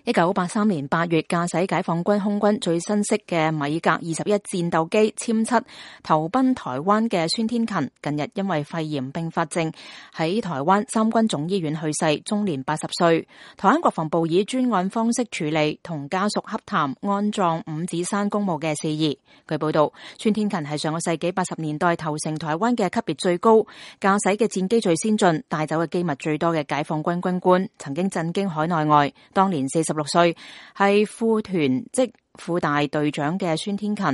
1983年8月，駕駛解放軍空軍最新式嘅米格21戰鬥機殲7投奔台灣嘅孫天勤，近日因為肺炎併發症喺台灣三軍總醫院去世，終年80歲。台灣國防部以專案方式處理，同家屬洽談安葬五指山公墓嘅事宜。據報道，孫天勤係上個世紀80年代投誠台灣嘅級別最高、駕駛嘅戰機最先進、帶走嘅機密最多嘅解放軍軍官，曾經震驚海內外。當年46歲，係副團即副大隊長嘅孫天勤，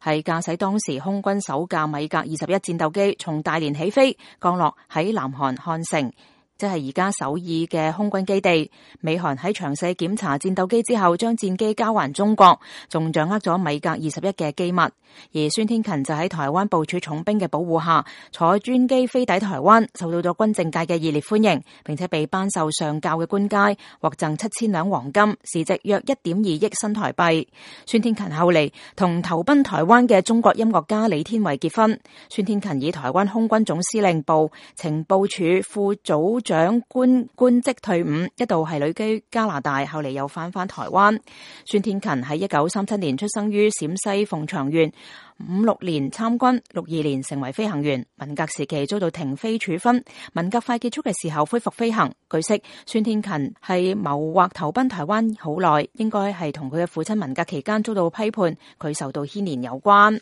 係駕駛當時空軍首架米格21戰鬥機從大連起飛，降落喺南韓漢城，即係而家首爾嘅空軍基地。美韓喺詳細檢查戰鬥機之後，將戰機交還中國，仲掌握咗米格21嘅機密。而孫天勤就喺台灣部署重兵嘅保護下，坐專機飛抵台灣，受到咗軍政界嘅熱烈歡迎，並且被頒授上校嘅官階，獲贈7000兩黃金，市值約1.2億新台幣。孫天勤後嚟同投奔台灣嘅中國音樂家李天維結婚。孫天勤以台灣空軍總司令部情報處副組長官職退伍，一度係旅居加拿大，後嚟又返台灣。孫天勤喺1937年出生於陝西鳳翔縣，56年參軍，62年成為飛行員。文革時期遭到停飛處分，文革快結束嘅時候恢復飛行。據悉，孫天勤係謀劃投奔台灣好耐，應該係同佢嘅父親文革期間遭到批判，佢受到牽連有關。